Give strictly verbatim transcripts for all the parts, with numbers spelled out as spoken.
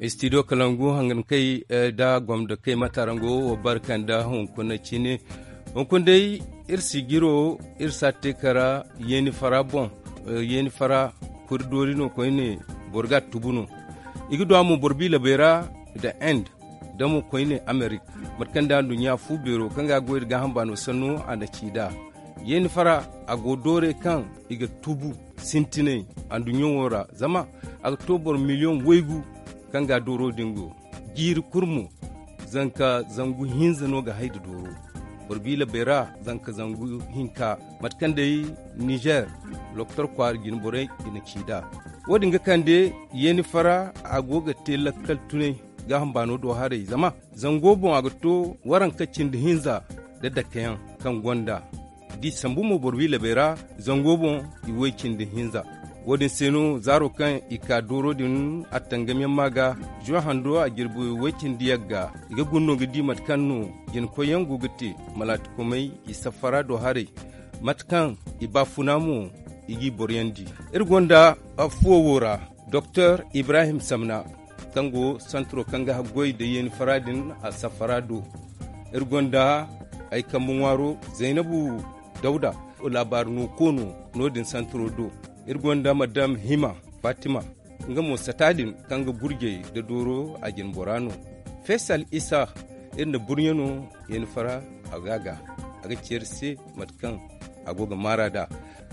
Studio kalangu hangankey da gomdo kay matarango wo barka nda hunkuna cine. Hunkuna day iri si jiro iri si a te kara yeeni fara boŋ. Yeeni fara kuri doori no koyne boro ga a tubu no. I ga du a mo boro biila beera nda end da mo koyne amerik. Mate kaŋ day anduɲɲa fu beero kaŋ ga a goy nda gaaham baano sanno a na ci nd'a. Yeeni fara a go doorey kaŋ i ga tubu sintinay anduɲɲo wo ra zama a ga to boro miliyoŋ waygu kaŋ ga a dooro din go. Jiiri kulu mo zanka zangu hinza no ga hay nda dooro. Boro biila beera zanka zangu hinka mate kaŋ day nizer lokotor kwaara jine borey i na ci nd'a. Wo- din ga kande yeeni fara a go ga te lakkal tunay gaaham baano do haray zama zango boŋ a ga to waranka cindi hinza nda dakeyaŋ kaŋ gonda. Da i sambu mo boro biila beera zango boŋ i way cindi hinza. Wo- din se no zaaro kaŋ i ka dooro din attangamiyaŋ ma ga juwa hando a jirbi way cindi yagga i ga guna no ga di mate kaŋ no jinakoyyaŋ go ga te malaatikomey i safara do haray. Mate kaŋ i baafuna mo i g'i boroyandi. Iri gonda fuwo wo ra doktor ibrahim samna kaŋ go santiro kaŋ ga haggoy nda yeeni fara din a safara do. Iri gonda ay kambe ŋwaaro zaynabu dawda laabaari no koono no- din santiro do. Iri gonda madam hima fatima nga mo sata din kaŋ ga gurjey nda dooro a jine bora no. Faysal isa iri na burɲe no yeeni fara a ga a ga a ga ceeri se mate kaŋ a go ga maara nd'a.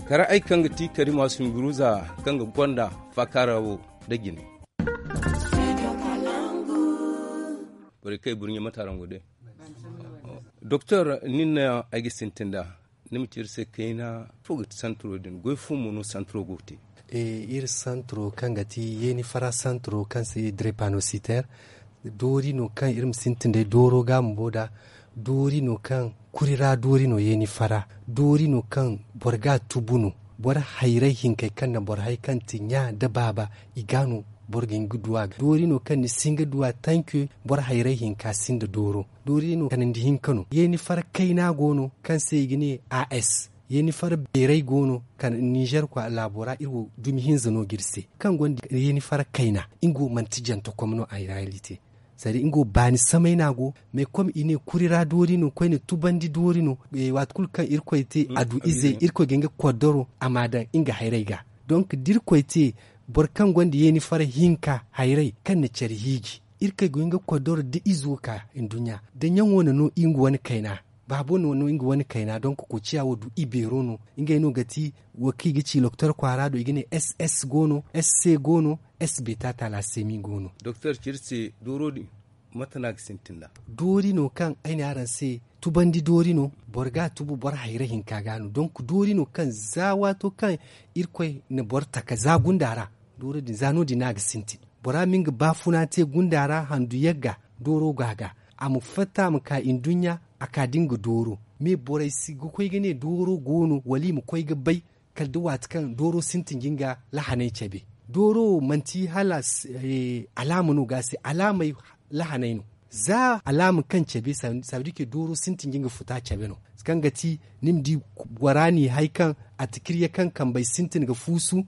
Kara ay kaŋ ga ti karima sumbiruza kaŋ ga gonda faakaara wo nda jine. Borey kaŋ ay burɲe mate araŋ go day? Doktor nin no ay ga sintin nd'a. Ni ma ci iri se kayna ifo ga ti santiro din goy fo mo no santiro go ga te? Iri santiro kaŋ ga ti yeeni fara santiro kaŋ se drepanositer. Doori no kaŋ iri ma sintin day dooro ga bumbo nd'a. Doori no kaŋ kuri ra doori no yeeni fara. Doori no kaŋ boro ga a tubu no. Boro hayray hinkey kaŋ na boro hay kaŋ ti ɲa nda baaba i ga no boro ga hin ga du a ga doori no kaŋ ni si hin ga du a tanki. Boro hayray hinka sinda dooro doori no kanandi hinka no yeeni fara kayna go no kaŋ se i ga ne a s. Yeeni fara beeray go no kaŋ nizer kwa laabo ra iri wo dumi hinza no ga iri se kaŋ gonda yeeni fara kayna. Nga wo manti jantakom no a reyalite. Sadi nga wo baani samay no a go mais kom i ne kuri ra doori no koyne tubandi doori no. Waati kulu kaŋ irkoy te a du ize irkoy ga nga koddoro a ma daŋ nga hayray ga. Donk da irkoy te boro kaŋ gonda yeeni fara hinka hayray kaŋ na care hiiji irkoy ga nga koddoro da izo ka nduɲɲa da ɲaŋo na no nga wane kayna. Baabo no no nga wane kayna donk koociya wo du i beero no. Ngey no ga ti wo kaŋ i ga ci loktor kwaara do i ga ne ss go no sc go no sb tata la semi go no. Doktor ci iri se dooro din mate no a ga sintin nd'a? Doori no kaŋ ay ne araŋ se tubandi doori no. Boro ga a tubu boro hayra hinka ga no donk doori no kaŋ za waato kaŋ irkoy na boro taka za gunda ra. Dooro din za no- din no a ga sintin. Bora ma nga baafuna te gunda ra handu yagga dooro go a ga a ma fatta a ma ka nduɲɲa a ka da nga dooro. Me borey si ga koy ga ne dooro go no wala i ma koy ga bay kala da waati kaŋ dooro sintin ga nga lahaney cabe. Dooro wo manti hala alaama no ga a se alaamey lahaney no. Za alaama kaŋ cabe saabidike dooro sintin ga nga futa cabe no kaŋ ga ti ni ma di gora n'i hay kaŋ a tikirye kaŋ kambey sintin ga fuusu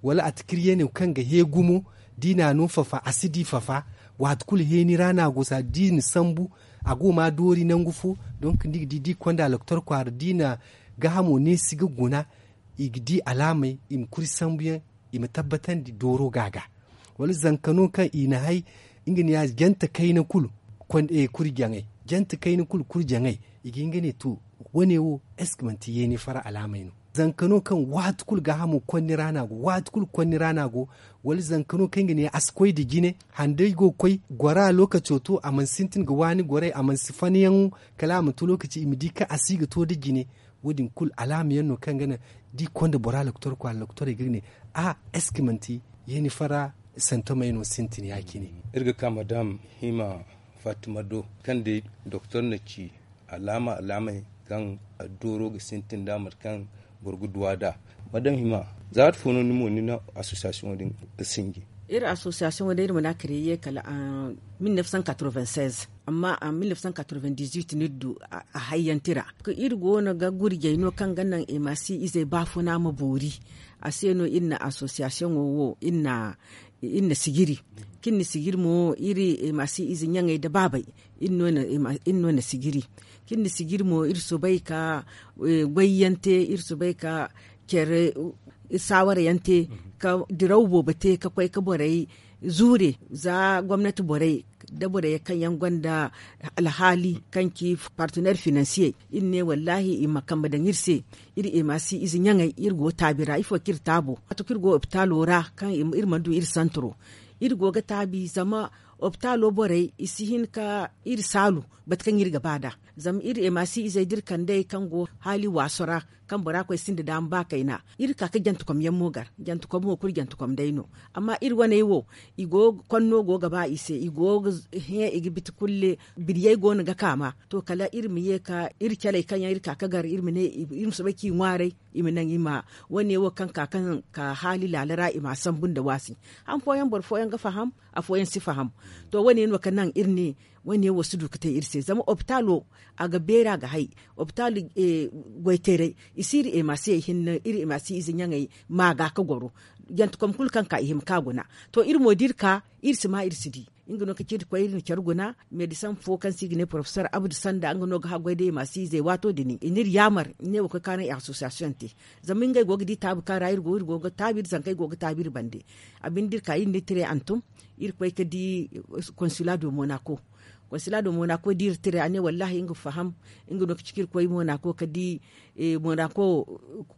wala a tikirye no kaŋ ga hee gumo. Da i n'a no fafa a si di fafa. Waati kulu heeni ra no a go saabidike da i na sambu a go ma doori nangu fo. Donk ni ga di da i konda loktor kwaara da i na gaahamo neesi ga guna i ga di alaamey i ma kuri sambuyaŋ i ma tabbatandi dooro ga a ga. Wala zanka no kaŋ i na hay nga ne ya jante kayna kulu kuri jaŋay jante kayna kulu kuri jaŋay i ga hin ga ne to wane wo est ce que manti yeeni fara alaamey no? Zanka no kaŋ waati kulu gaahamo konni ra no a go waati kulu konni ra no a go. Wala zanka no kaŋ i ga ne a si koy nda jine handay go ga koy gora lookaco to a mana sintin ga waani gorey a mana si fanyaŋo kala a ma to lookaci i ma di kaŋ a si ga to nda jine. Wo- din kulu alaama yaŋ no kaŋ ga naŋ da i konda bora loktor kwaara loktorey ga ne a est ce que manti yeeni fara santomey no sintin ya- cine. Iri ga ka madam hima fatima do kaŋ day doktor na ci alaama alaamey kaŋ dooro ga sintin nd'a mate kaŋ boro ga duw'a nd'a. Madam hima za waati fo no ni mo ni na association din ga sinji? Iri association wo day iri mana a créer kala en mille neuf cent quatre-vingt-seize. Amma en mille neuf cent quatre-vingt-dix-huit no iri du a hayyanti ra. Iri go no ga gurjey no kaŋ ga naŋ i ma si izey baafuna ma boori. A se no iri na association wo wo iri na iri na sijiri. Kaŋ iri na sijiri mo iri emaasi ize ɲaŋey nda baabey, iri no na sijiri. Kaŋ iri na sijiri mo iri soobay ka goy yaŋ te, iri soobay ka care saawara yaŋ te, ka diraw boobo te ka koy ka borey zuure za gomnati borey nda borey kaŋ yaŋ gonda alhaali kaŋ ci partener finansiyey. Iri ne wallaahi i ma kambe daŋ iri se. Iri emaasi ize ɲaŋey iri go taabi ra ifo kaŋ iri taabo waati kaŋ iri go opitaalo ra kaŋ iri mana du iri santaro. Iri go ga taabi zama opitaalo borey i si hin ka iri saalu mate kaŋ iri ga ba nd'a. Zama iri emaasi izey da iri kand'ey kaŋ go haali waaso ra kaŋ bora koy sinda daama ba kayna, iri ka ga jantekom yaŋ mo gar jantekom wo kulu jantekom day no. Amma iri waney wo i go ga konno go ga ba i se i go ga hẽ i ga biti kulle. Biriyey go no ga kaama to kala iri ma ye ka iri caley kaŋ yaŋ iri ka ga gar iri ma ne iri ma soobay ka i ŋwaaray. I ma naŋ i ma wane wo kaŋ ka kaŋ ka haali laala ra i ma a sambu nda waasi. Han fooyaŋ boro fooyaŋ ga faham, afooyaŋ si faham. To wane no ka naŋ iri ne wane wo si du ga te iri se zama opitaalo a ga beeri a ga hay. Opitaalo goyteeray i si iri emaasiyey hinne iri emaasiye ize ɲaŋey ma ga ga goro. Jantekom kulu kaŋ ka i hima ka guna. To iri mo da iri ka iri si ma iri si di. Nga no ka ci iri koy iri na care guna meedisaŋ fo kaŋ se i ga ne porofesor abdu sanda nga no ga haggoy day maasi izey waato din i n'iri yaamar i ne wa koy kaŋ araŋ i asosiyasiyoŋ te. Zama ngey go ga di taabi kaŋ ra iri go iri go ga taabi iri zankey go ga taabi iri bande. A binde da iri ka iri n'iri tire antum iri koy ka di konsila do monako. Konsila do monako da iri tire a ne wallaahi nga faham. Nga no ka ci ka iri koy monako ka di monako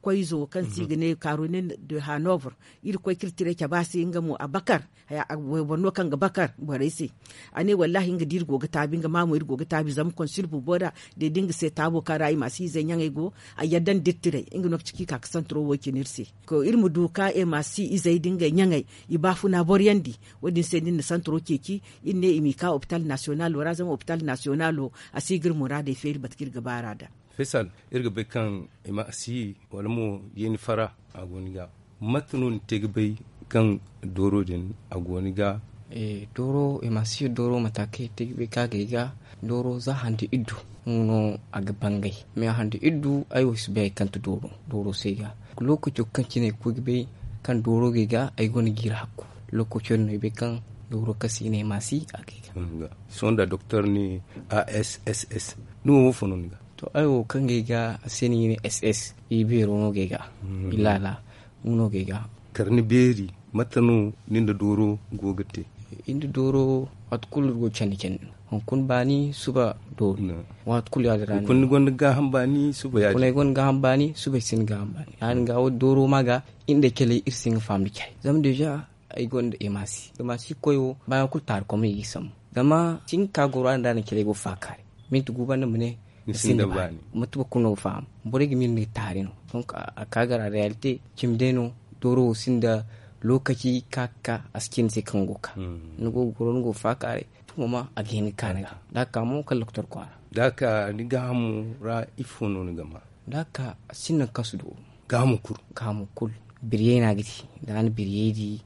koyzo kaŋ se i ga ne karone de hanover. Iri koy ka iri tire cabe a se nga mo a bakar. Wayboro no kaŋ ga bakar borey se. A ne wallaahi nga da iri go ga taabi nga ma mo iri go ga taabi zama konsil bumbo da day da nga se taabo kaŋ ra i ma si izey ɲaŋey go. A yadda nda iri tiray nga no ga ci ka i ka ga santaro wo cine iri se. Iri ma du ka i ma si izey da ngey ɲaŋey i baafuna boroyandi. Wo- din se da iri na santaro ceeci iri ne i m'i ka opital nasiyonalo ra zama opital nasiyonalo a si ga iri muraadey feeri mate kaŋ iri ga ba ra nd'a. Fesal, iri ga bay kaŋ i ma si wala mo yeeni fara a go ni ga. Mate no ni te ga bay kaŋ dooro din a go ni ga? Dooro i ma si dooro mate kaŋ i te ga bay kaŋ a ga ay ga dooro za handi iddu. Nga no a ga bangay me handi iddu ay wo si bay ay kaŋ ti dooro dooro se ga. Lookaco kaŋ cine ay ga koy ga bay kaŋ dooro ga ay ga ay gonda jiiri hakku. Lookaco din no ay bay kaŋ dooro kaŋ se i ne i ma si a ga ay ga. Sohõ nda doktor ni a s s s ni wo wo fo no ni ga? To ay wo kaŋ ga ay ga a se no i ne s s i beero no ga ay ga. I laala nga no ga ay ga. Kar ni beeri mate no ni nda dooro go ga te? Iri nda dooro waati kulu iri go ga candi candi no hunkuna baani suba dooro. Waati kulu ya- din ra ni gonda gaaham baani suba ya- din ay gonda gaaham baani suba ay sinda gaaham baani ya- din ga wo dooro ma ga. Iri nda ay caley iri si hin ga faham nda caley zama deeza ay gonda emasi emasi koy wo baayaŋ kulu taari koma no i ga sambu. Zama si hin ga ka goro a din da a na caley go faakaari minti gu banda ma ne ni sinda baani. Mate boro kulu no ga faham borey ga miila ni ga taari no. Donk a ka gar a reyalite cimi day no. Dooro wo sinda lookaci ka ga ka a si ci ni se kaŋ go ga ka ni go ga goro ni go ga faakaaray. Tumo ma a ga hin ga ka ni ga da a ga ka mo kala lokotor kwaara. Da a ga ka ni gaahamo ra ifo no ni ga ma? Da a ga ka a sinda nangu kaŋ si dooro. Gaahamo kulu gaahamo kulu biriyey no a ga di. Da a na biriyey di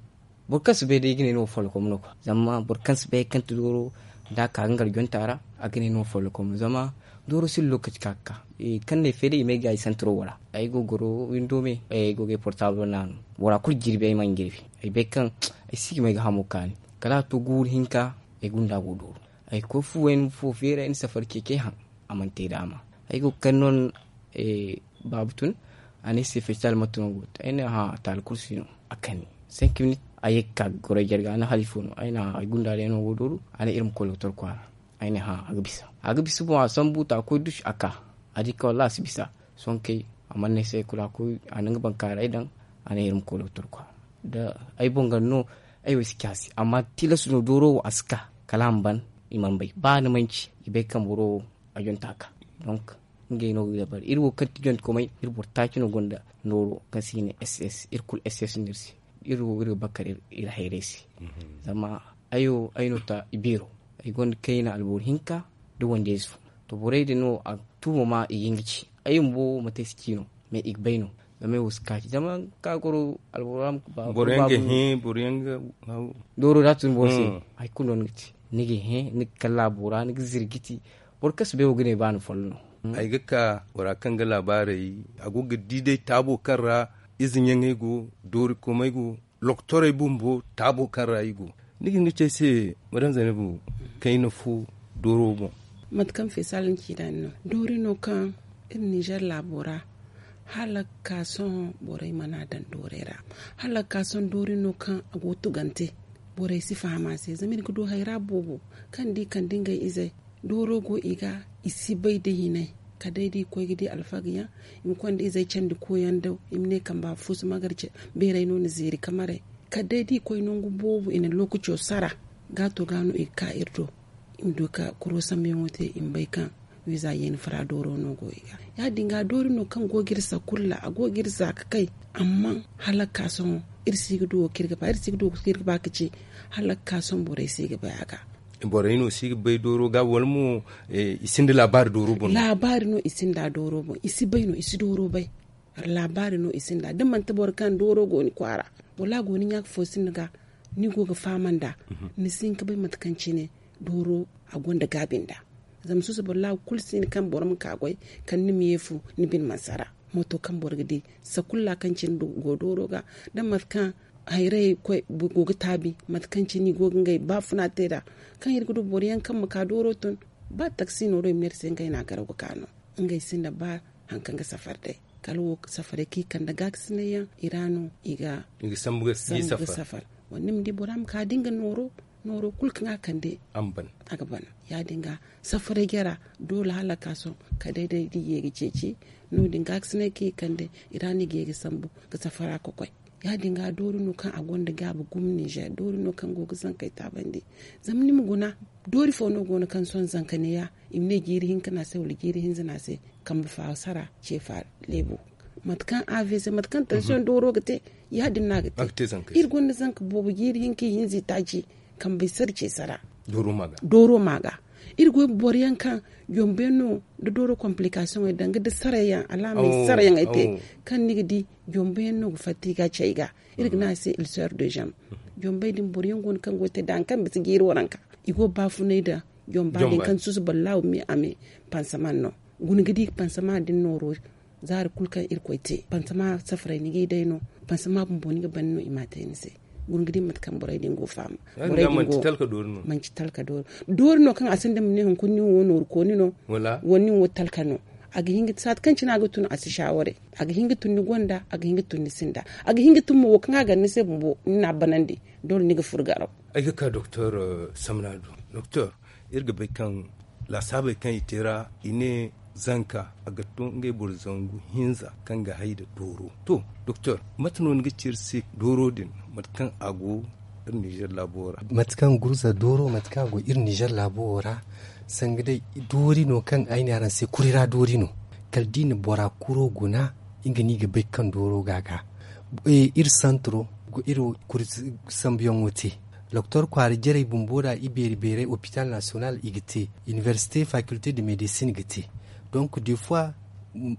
boro kaŋ si bay day ay ga ne ni wo follokom no kwa zama boro kaŋ si bay hari kaŋ ti dooro da a ka ga ngar jonta ra. A ga ne ni wo follokom no zama dooro sinda lookaci kaŋ a ga ka kaŋ no ay fay day i ma ay gaayi santaro wo ra. Ay go ga goro windo me ay go ga ay portablo naanu. Bora kulu jirbi ay mana jirbi ay bay kaŋ ay si ga ma ay ga hamo kaani. Kala a to guuru hinka ay gunda go dooro. Ay koy fu wayna fo feeri ay na safari ceeci ay haŋ. A mana te daama ay go ga kande no. Baabu tun a ne ay se feetal mate no go te ay ne hã taali kulu si no. A kani cinq minutes a ye ga ka ga goro ay jarga a ne hala ifo no ay ne hã ay gunda day no go dooru. A ne iri ma koy lokotor kwaara. Ay ne hã a ga bisa a ga bisa boŋ a sambu ta a koy dusu a ka. A di kaŋ wallaahi a si bisa. Sohõ kay a mana ne ay se kulu a koy a na nga bankaaray daŋ. A ne iri ma koy lokotor kwaara da ay boŋ ganda no. Ay wo ay si ci a se amma tilas no dooro wo a si ka kala a ma ban. I mana bay ba ni manci i bay kaŋ boro wo a jonta ka. Donk ngey no ga dabari iri wo kaŋ ti jonte komay iri boro taaci no gonda nooro kaŋ se i ne ss iri kulu ss no iri se. Iri wo iri ga bakar iri hayray se. Zama ay wo ay no ta i beero ay gonda kayna alboro hinka nda wande ize fo. To borey din no a tuumo ma i ga nga ci ay bumbo mate ay si ci no. Mais i ga bay no zama ay wo si kaaci zama ka goro alboro ra ma ba boro yaŋ ga hẽ boro yaŋ ga dooro da a tun boro se. Hari kulu no ni ga te ni ga hẽ ni ga kalla a boora ni ga zirgiti. Boro kaŋ si bay wo ga ne ba ni follo no. Ay ga ka bora kaŋ ga laabaarey a go ga di day taabo kaŋ ra ize ɲaŋey go doori komey go. loktorey bumbo taabo kaŋ ra i go. Ni ga hin ga ci ay se, madame Zaynabu, kayna fo dooro boŋ. Mate kaŋ feesal ni ci nd'a ni no doori no kaŋ iri ninzeer laabo ra hala ga ka sohõ borey mana daŋ doorey ra. Hala ga ka sohõ doori no kaŋ a go ga tugante borey si faham a se zama iri ga du hayra boobo kaŋ da i kande ngey izey dooro go i ga i si bay da hinay. Kala day da i koy ga di alfagey yaŋ i ma konda izey candi koyaŋ daw i ma ne kamba fo si magar beerey no ni zeeri kamarey. Kala day da i koy nangu boobo i na lookaco sara gaato ga no i ga ka iri do i ma du ga kuro sambuyaŋo te i ma bay kaŋ wiiza yeeni fara dooro no go i ga. Ya- din ga doori no kaŋ go ga iri sakulla a go ga iri za ga kay. Amma hala ga ka sohõ iri si ga du wo kaŋ iri ga ba iri si ga du wo kaŋ iri ga ba ga ci hala ga ka sohõ borey si ga bay a ga. Borey no si ga bay dooro ga wala mo i sinda laabaari dooro boŋ no? Laabaari no i sinda dooro boŋ i si bay no i si dooro bay. Laabaari no i sinda da manti boro kaŋ dooro go ni kwaara wala a go ni ɲaaka fo sinda ga ni go ga fahamanda ni si hin ga bay mate kaŋ cine dooro a gonda gaabi nda. Zama susu boro laabu kulu si hin kaŋ boro ma ka goy kala ni ma ye fu ni bine mana sara. Mooto kaŋ boro ga di sakulla kaŋ cine go dooro ga da mate kaŋ hayrayey go ga taabi mate kaŋ cine i go ga ngey baafuna te nd'a kaŋ iri ga du boro yaŋ kaŋ ma ka dooro tun ba taksi nooro i ma ne iri se ngey no a garaw ga ka no. Ngey sinda ba hari kaŋ ga safar day kala wo safaray kaŋ i kande gaakasinay yaŋ i ra no i ga sambu ga safar. Wala ni ma di bora ma ka da nga nooro nooro kulu kaŋ a kande a ga ban. Ya- din ga safaray jara doole hala ga ka sohõ kala day da i ye ga ceeci no- din gaakasinay kaŋ i kande i ra no i ga ye ga sambu ga safara ga koy. Ya- din ga doori no kaŋ a gonda gaabi gumo ninzeer doori no kaŋ go ga zankey taabandi. Zama ni ma guna doori fo no go no kaŋ sohõ zanka neeya i ma ne jiiri hinka no a se wala jiiri hinza no a se kambe faasara ce fa leebo. Mate kaŋ avc mate kaŋ tansiyoŋ dooro ga te ya- din no a ga te. Iri gonda zanka boobo jiiri hinka ihinza itaaci kambey sara ce sara dooro ma ga. Iri goy boro yaŋ kaŋ jombo yaŋ no da dooro kompilikaasiyoŋey danga da sarayaŋ alaamey sarayaŋey te kaŋ ni ga di jombo yaŋ no ga fatta i ga cay ga. Iri ga ne a se ilseer de zam. Jombey din boro yaŋ go no kaŋ go ga te da hari kaŋ bisa jiiri waranka i go ga baafunay da jomba din kaŋ susu ballaahu me a me pansaman no. Guna ga di pansama din nooro zaari kulu kaŋ irkoy te pansama safaray ni g'ay day no. Pansama bumbo ni ga ban no i m'a te ni se. Guna ga di mate kaŋ borey din go faama. Manci talka doori no kaŋ a sinda ma ne hunkuna nin wo nooru kooni no wala nin wo talka no. A ga hin ga saati kaŋ cine a ga tun a si saaware. A ga hin ga tun ni gonda a ga hin ga tun ni sinda. A ga hin ga tun mo wo kaŋ a gar ni se bumbo ni n'a banandi. Doole ni ga furo garaw. Ay ga ka doktor samna do doktor, iri ga bay kaŋ laasaabey kaŋ i te ra i ne zanka a ga to ngey boro zangu hinza kaŋ ga hay nda dooro. To doktor, mate no ni ga ci iri se dooro din mate kaŋ a go iri nizer laabo ra? Mate kaŋ gurza dooro mate kaŋ a go iri nizer laabo wo ra, sanga day doori no kaŋ ay ne araŋ se kuri ra doori no. Kala da i na bora kuro guna nga no i ga bay kaŋ dooro ga a ga. Iri santaro iri kuri sambuyaŋo te. Doktor kwaara jarey bumbo da i beeri beeray opital nasiyonal i ga te. Iniversite fakilte de medisin ga te. Donk de fois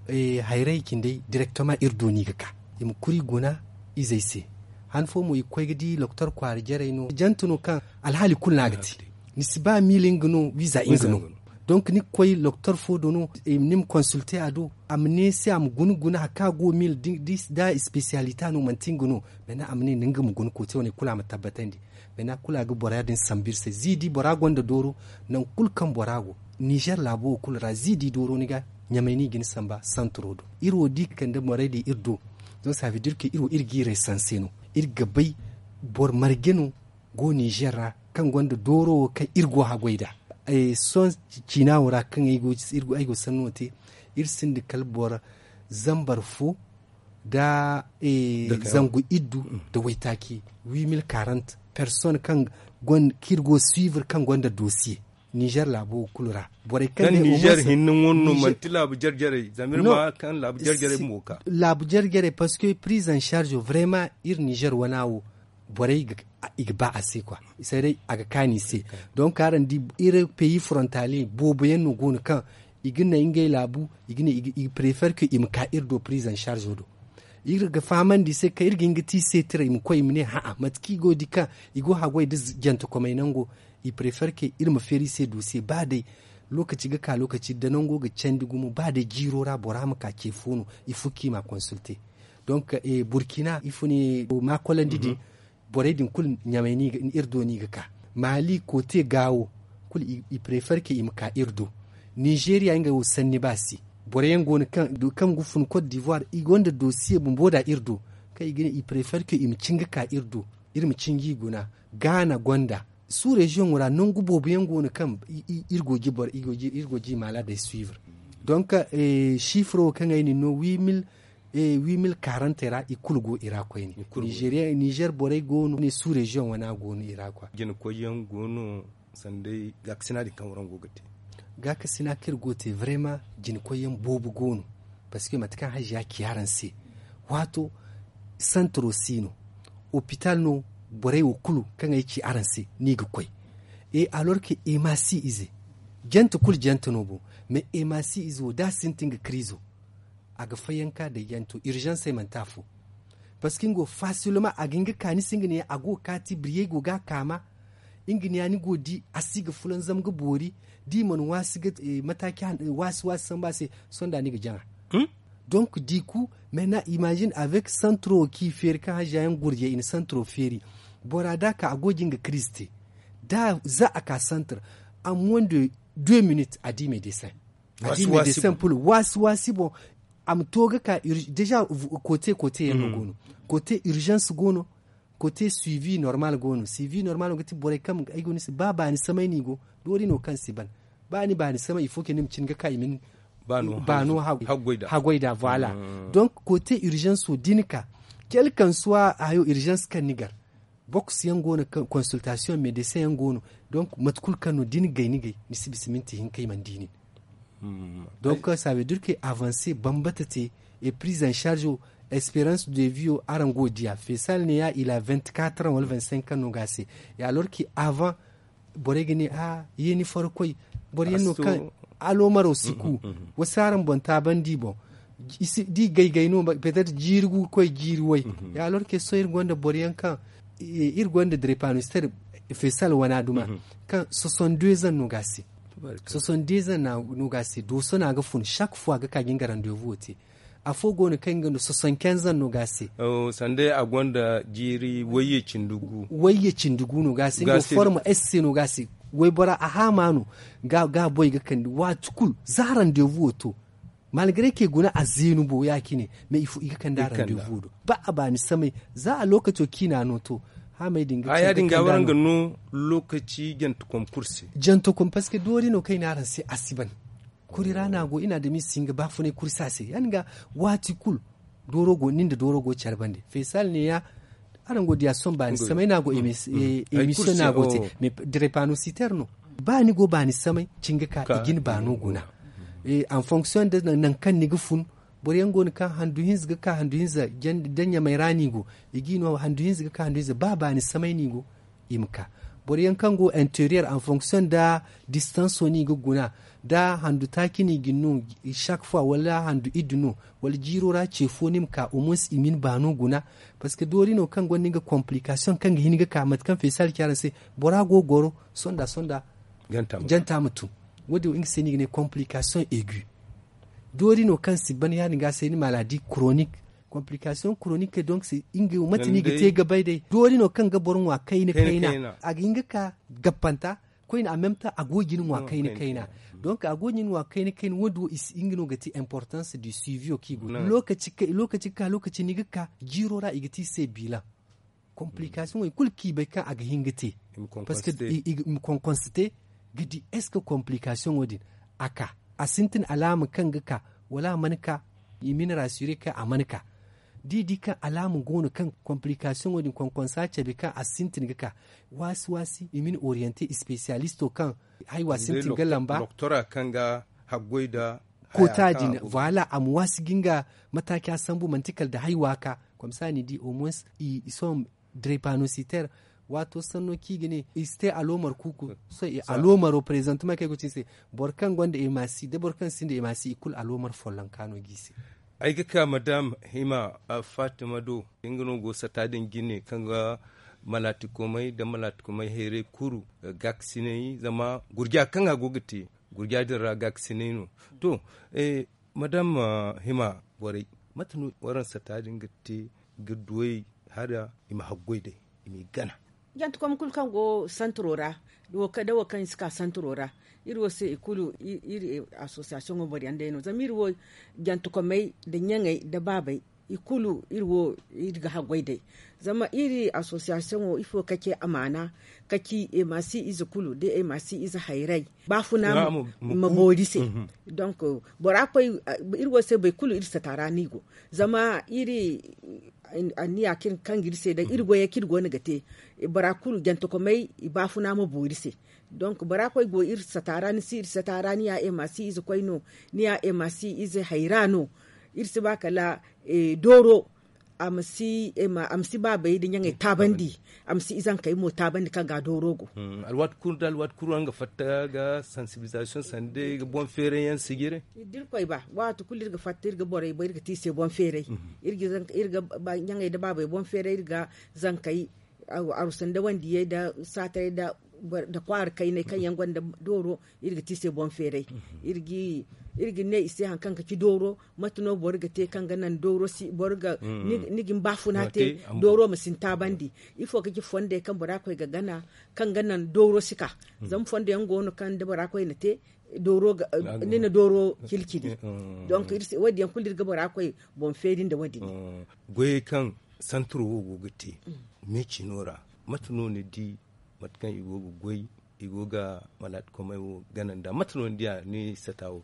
hayrey cindey direktoma iri do no i ga ka i ma kuri guna izey se. Han fo mo i ga koy ga di doktor kwaara jarey no jante no kaŋ alhaali kulu no a ga te. Ni si ba mil nga no wiiza nga no. Donk ni ga koy doktor fo do no ni ma konsulte a do. A ma ne se a ma guna guna hari kaŋ a go mil da espesiyalita no manti nga no. Mena a ma ne ni nga ma guna kote wane kulu a ma tabbatandi. Mena kulu a ga bora din sambu iri se za i di bora gonda dooro. Nangu kulu kaŋ bora go nizer laabo wo kulu ra za i di dooro ni ga ɲamay no i ga ni samba santaro do. Iri wo da i ga kande morey din iri do. Zama savedir ke iri wo iri ga i resanse no. Iri ga bay boro marje no go nizer ra kaŋ gonda dooro wo kaŋ iri go haggoy nd'a. Sohõ ciina wo ra kaŋ ay go sanno te iri sinda kala boro zambar fo nda zangu iddu nda waytaaci. Huit mille quarante personnes kaŋ iri go suivre kaŋ gonda dosiye nizer laabo wo kulu ra. Borey kaŋ nizer hinne wane no manti laabu jarjarey zama iri ma kaŋ laabu jarjarey mo ka laabu jarjarey parce que prise en charge vraiment iri nizer wana wo borey i ga ba a se kwa. Saray a ga kaani i se. Donc araŋ di iri peyi frontalier boobo yaŋ no go no kaŋ i ga naŋ ngey laabu i ga ne i ga prefer ke i ma ka iri do prise en charge do. Iri ga fahamandi i se kaŋ iri ga hin ga te i se tira i ma koy i ma ne ha'a mate kaŋ i go di kaŋ i go haggoy nda jantekomey nango. I prefer ke iri ma feeri i se dosiye ba day lokaci ga ka lokaci da nango ga candi gumo ba day jiiro ra bora ma ka ce fo no. Ifo kaŋ i ma a konsulte. Donc burkina ifo ne maakolandi din. Borey din kulu ɲamay no iri do no i ga ka. Maali koote gaawo kulu i prefer ke i ma ka iri do. Nizeeriya ngey wo sanni ba se. Borey yaŋ go no kaŋ ga fun kot divoire i gonda dosiye bumbo da iri do, kaŋ i ga ne i prefer ke i ma cin ga ka iri do, iri ma cin ga i guna. Gaana gonda su reziyoŋo ra nangu boobo yaŋ go no kaŋ iri go ga i maala day suivre. Donk sifiro wo kaŋ ay na ni no huit mille quarante ra i kulu go i ra koyne. Nizer borey go no ne su reziyoŋ wana go no i ra kwa. Jinakoy yaŋ go no sanda gaakasina din kaŋ waraŋ go ga te. Gaakasina kaŋ iri go ga te vrema jinakoy yaŋ boobo go no. Parceque mate kaŋ haziya ci araŋ se, waato santaro si no, opital no. Borey wo kulu kaŋ ay ci araŋ se no i ga koy. E alor ke emasi ize jante kulu jante no bo. Mais emasi ize wo da a sintin ga kirizo a ga fayyanka da janto urgence ay manti afo. Parce que nga wo fasilma a ga hin ga ka ni se nga ne a go ga kaati biriyey go ga a kaama. Nga ne ya ni go ga di a si ga fulanzam ga boori. Da i mana waasi ga mataaci waasi waasi samba se. Sohõ da ni ga jaŋa. Donc diku maintenant imagine avec santro wo kaŋ i feeri kaŋ haziya yaŋ gurjey i na santro feeri. Bora da a ka a go ga nga kiriz te. Da za a ka santar a moins de deux minutes a di medesin. A di medesin pul waasi waasi boŋ. A ma to ga ka déjà kote kote yaŋ no go no. Kote urgence go no. Kote suivi normal go no suivi normal go ga ti borey kaŋ ay go ni se ba baani samay no i go. Doori no kaŋ si ban ba ni baani samay il faut que ni ma cin ga ka i ma ni baano haggoy da voilà. Donc kote urgence wo da ni ka kelkansuwa hayo urgence kaŋ ni gar. Boks yaŋ go no consultation medesin yaŋ go no. Donc mate kulu kaŋ no da ni gay ni gay ni si bisa minti hinka i mana di nin. Donc ça veut dire que avanse bambata te. Et prise en charge o espérance de vie o araŋ go ga diya fesal ne ya il a vingt-quatre ans wala vingt-cinq ans no ga a se. Et alors que avant borey ga ne a ye ni faro koy. Boro yaŋ no kaŋ aloomaro si ku. Wasu araŋ boŋ taabandi boŋ da i gaygay no peut être jiiri gu ga koy jiiri way. Et alors que sohõ iri gonda boro yaŋ kaŋ iri gonda drepanoster fesal wana duma kaŋ soixante-deux ans no ga a se. Soixante-deux ans no ga a se dooso no a ga fun chaque fois a ga ka ga nga rendez-vous wo te. Afo go no kaŋ nga no soixante-quinze ans no ga a se. Sanda a gonda jiiri wayye cindi gu wayye cindi gu no ga a se nga forma esse no ga a se. Waybora a haama no ga a boy ga kande waati kulu za rendez-vous wo to. Malgre ke guna a zeenu bo ya- cine mais il faut i ga kande a rendez-vous do. Ba a baani samay za a lokaco ciina no to. Haamay din ga haya din ga waraŋ ga no lokaci jantakom kulu se. Jantakom parce que doori no kaŋ i ne araŋ se a si ban. Kuri ra no a go i na adamize si hin ga baafunay kuri se a se ya- din ga waati kulu. Dooro go nin da dooro go care bande fesal ne ya. Araŋ go ga diya sohõ baani samay no a go emission no a go te mais drepanoster no. Ba ni go baani samay cin ga ka i ga ni baano guna. En fonction da nangu kaŋ ni ga fun. Boro yaŋ go no kaŋ handu hinza ga ka handu hinza da ɲamay ra no i go. I ga i no handu hinza ga ka handu hinza ba baani samay no i go. I ma ka boro yaŋ kaŋ go interior en fonction da distanso no i ga guna da handu taaci no i ga ni no chaque fois wala handu iddu no wala jiiro ra ce fo ni ma ka au moins i ma ni baano guna. Parce que doori no kaŋ gonda nga complication kaŋ ga hin ga ka mate kaŋ fesal ci araŋ se bora go ga goro sonda sonda janta ma tun. Wo- din wo nga se no i ga ne complication aigu. Doori no kaŋ si ban ya- din ga se ni maladie chronique. Complication chronique donc se nga mate no i ga te ga bay day doori no kaŋ ga boro ŋwa kayna kayna a ga hin ga ka gappanta. Koyne en même temps a go ga ni ŋwa kayna kayna. Donc a go ga ni ŋwa kayna kayna wo- din wo i si nga no ga ti importance du suivi wo kaŋ i go lokaci ga ka lokaci no i ga ka jiiro ra i ga ti i se bilan. Complication wo i kulu kaŋ i bay kaŋ a ga hin ga te. Parce que i ma konkonse te ga di est ce que complication wo- din a ka a sintin alaama kaŋ ga ka wala a mana ka. I ma ni rassurer kaŋ a mana ka da i di kaŋ alaama go no kaŋ complication wo- din konkonsa cabe kaŋ a sintin ga ka. Waasi waasi i ma ni orienter spécialisto kaŋ haywa sintin ga lamba. Doktora kaŋ ga haggoy da koota din voilà a ma waasi ga nga mataaci a sambu manti kala da haywa ka. Comme ça ni di au moins i sohõ drepanocytaire. Waato sanno kaŋ i ga ne i si te aloomar kuuku. Sohõ aloomaro présentement kaŋ ay go ga ci ni se boro kaŋ gonda emasi da boro kaŋ sinda emasi i kulu aloomar follonka no ga i se. Ay ga ka madam hima fatima do nga no go sata din jine kaŋ ga malaatikomey nda malaatikomey hayray kuru gaakasinay zama gurja kaŋ a go ga te gurja din ra gaakasinay no. To madam hima borey mate no waraŋ sata din ga te ga duwey hara i ma haggoy day? I m'i gana. Jantekom kulu kaŋ go santiro ra, da wo kaŋ i si ka santiro ra, iri wo se i kulu iri asosiyasiyoŋo boro yaŋ day no zama iri wo jantekomey nda ɲaŋey nda baabey, i kulu iri wo iri ga haggoy day. Zama iri asosiyasiyoŋo ifo ka ce amaana, ka ci emasi ize kulu da emasi ize hayray, baafuna ma boori se. Donk bora koy, iri wo se boro kulu iri sata ra no i go. Zama iri anniya kaŋ ga iri se day iri goyey kaŋ iri go no ga te, bora kulu jantekomey i baafuna ma boori se. Donk bora koy go iri sata ra ni si iri sata ra ni ya emasi ize koy no, ni ya emasi ize hayra no. Iri si ba kala dooro a ma si baabey nda ɲaŋey taabandi, a ma si izankey mo taabandi kaŋ ga dooro go. Alwaati kulu nda alwaati kulu araŋ ga fatta ga sansibilizasiyoŋ sanda day ga boŋ feeray yaŋ sijire. Da iri koy ba waati kulu iri ga fatta iri ga borey bay iri ga te i se boŋ feeray. Iri ga ɲaŋey nda baabey boŋ feeray iri ga zankey, arusa nda wandiyey nda saataray nda kwaara kaynay kaŋ yaŋ gonda dooro. Iri ga te i se boŋ feeray. Iri ga ne i se hari kaŋ ga ci dooro, mate no boro ga te kaŋ ga naŋ dooro si boro ga ni ga ni baafuna te, dooro ma si ni taabandi. Ifo ga ci fondey kaŋ bora koy ga gana kaŋ ga naŋ dooro si ka? Zama fondo yaŋ go no kaŋ da bora koy na te dooro ga ni na dooro cilcili. Donk wo- din yaŋ kulu iri ga bora koy boŋ feeri nda wo- din. Goyey kaŋ santiro wo go ga te meecino ra, mate no ni di mate kaŋ i go ga goy, i go ga malaati komey wo gana nd'a mate no ni diya ni sata wo?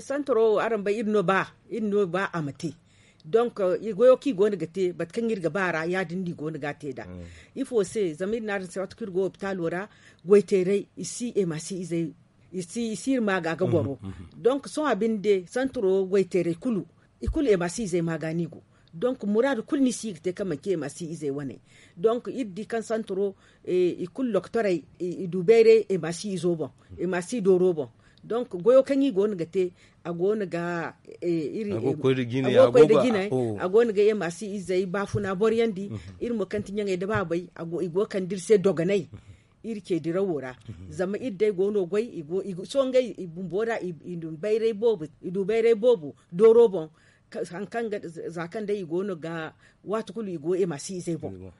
Santiro wo araŋ bay iri no ba iri no ba a ma te. Donk goyo kaŋ i go no ga te mate kaŋ iri ga ba ra ya- din no i go no ga a te nd'a. Ifo se zama iri ne araŋ se waati kaŋ iri go hopitalo ra, goy teeray i si emasi izey i si iri maaga ga goro. Donk sohõ a binde santiro goy teeray kulu i kulu emasi izey maaga no i go. Donk muraadu kulu no i si ga te kaŋ manci emasi izey wane. Donk iri di kaŋ santiro i kulu doktorey i du bayray emasi izo boŋ, emasi dooro boŋ. Donk goyo kaŋ i go no ga te a go no ga iri a go ga koy nda jine a go no ga emasi izey baafuna boroyandi. Iri mo kaŋ ti ɲaŋey nda baabey i go ga kande iri se dogonay iri ce dirawo ra. Zama iri day go no goy sohõ ngey i bumbo ra i du bayray boobo dooro boŋ. Hari kaŋ za kaŋ day i go no ga waati kulu i go emasi izey boŋ.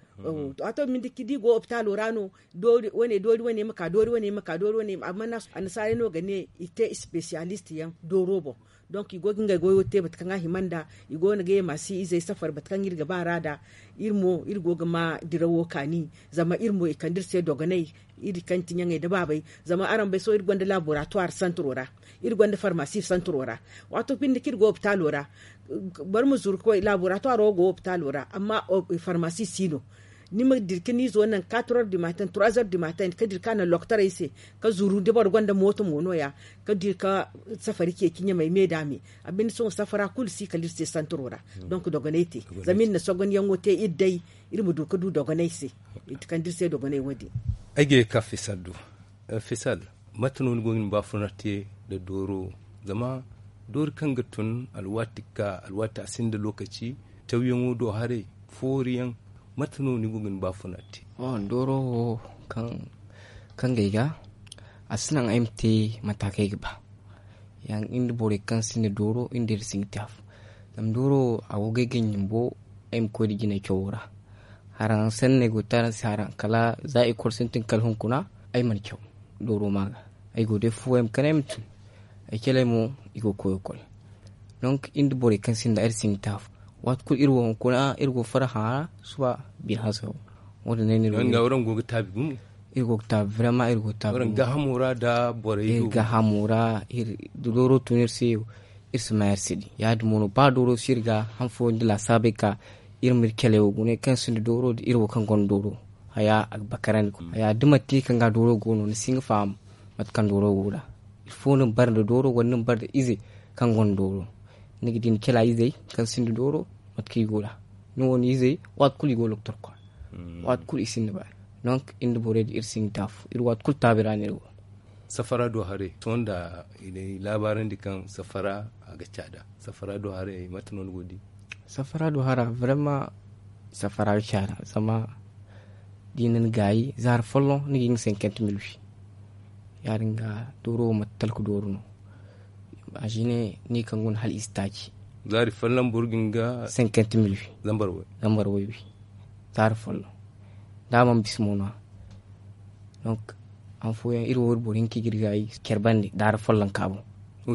Waato binde da i go hopitalo ra no doori wane doori wane ma ka doori wane ma ka doori wane amma annasaarey no ga ne i te espesiyalist yaŋ dooro boŋ. Donk i go ga ngey goyo te mate kaŋ a hima nd'a i go no ga emasi izey safari mate kaŋ iri ga ba ra nd'a. Iri mo iri go ga ma dirawo kaani zama iri mo i kande iri se dogonay. Iri kaŋ ti ɲaŋey nda baabey zama araŋ bay sohõ iri gonda laboratuwar santiro ra, iri gonda farmasi santiro ra. Waato binde kaŋ iri go hopitalo ra boro ma zuru ga koy laboratuwaro go hopitalo ra amma farmasi si no. Ni ma dira ka ni izo naŋ katror du matin trois heures du matin ka dira ka naŋ lokotorey se ka zuru da boro gonda mooto mo no- ya ka dira ka safari ceeci ɲamey me da me. A binde sohõ safara kulu si kala iri se santiro ra. Donk dogonay te zama iri na sogonyaŋo te iri day iri ma du ka du dogonay se. I ti kande iri se dogonay wo- din. Ay ga ye ga ka fisal do. Fisal, mate no ni go ga ni baafuna te nda dooro? Zama doori kaŋ ga tun alwaati ga ka alwaati a sinda lookaci, tawyaŋo do haray, fooriyaŋ, mate no ni go ga ni baafuna te? Dooro wo kaŋ ga ay ga a si naŋ ay ma te mate kaŋ ay ga ba. Yaŋ iri nda borey kaŋ sinda dooro iri nda iri si ga te afo. Zama dooro wo a go ga ay ganji bumbo ay ma koy nda jinay cawo ra. Haraŋ sanney go ga te araŋ se haraŋ kala za ikol sintin kala hunkuna ay mana caw dooro ma ga. Ay go day fu ay ma kande ay ma tun. Ay caley mo i go ga koy ga koy. Donk iri nda borey kaŋ sinda iri si ga te afo. Waati kulu iri wo hunkuna iri go farhã ra suba bine hanse wo. Wo- din no ay na iri go ga taabi gumo. Iri go ga taabi vraiment iri go ga taabi gumo. Iri gaahamo ra da borey do iri gaahamo ra. Da dooro tun iri se iri si ma iri si di ya- din mo no ba dooro si iri ga han fooyaŋ da laasaabey ka iri ma iri caley wo gune kaŋ sinda dooro da iri wo kaŋ gonda dooro. Haya a ga bakarandi haya da manti kaŋ ga dooro go no ni si hin ga faham mate kaŋ dooro go nd'a. Ilfo ni ma bare nda dooro wala ni ma bare nda ize kaŋ gonda dooro. Ni ga di ni cala izey kaŋ sinda dooro mate kaŋ i go nd'a. Ni wo ni izey waati kulu i go ga loktor kwaara. Waati kulu i sinda baani. Donk iri nda borey din iri si hin ga te afo iri waati kulu taabi ra no iri go. Safara do haray sohõ nda i na ay laabaarandi kaŋ safara a ga caada. Safara do haray mate no ni go ga di? Safara do hara vraiment safara ga caada zama da i na ni gaayi zaari folloŋ ni ga hin ga cinquante mille wi. Ya- din ga dooro wo manti talka dooro no. Imagine ni kaŋ go no hala i si taaci. Zaari folloŋ boro ga hin ga cinquante mille wi. Zambar way. Zambar way wi. Zaari folloŋ. da a mana bisa mo no-ya. Donk han fooyaŋ iri wo iri boro hinka ga iri gaayi care bande daara follonka boŋ.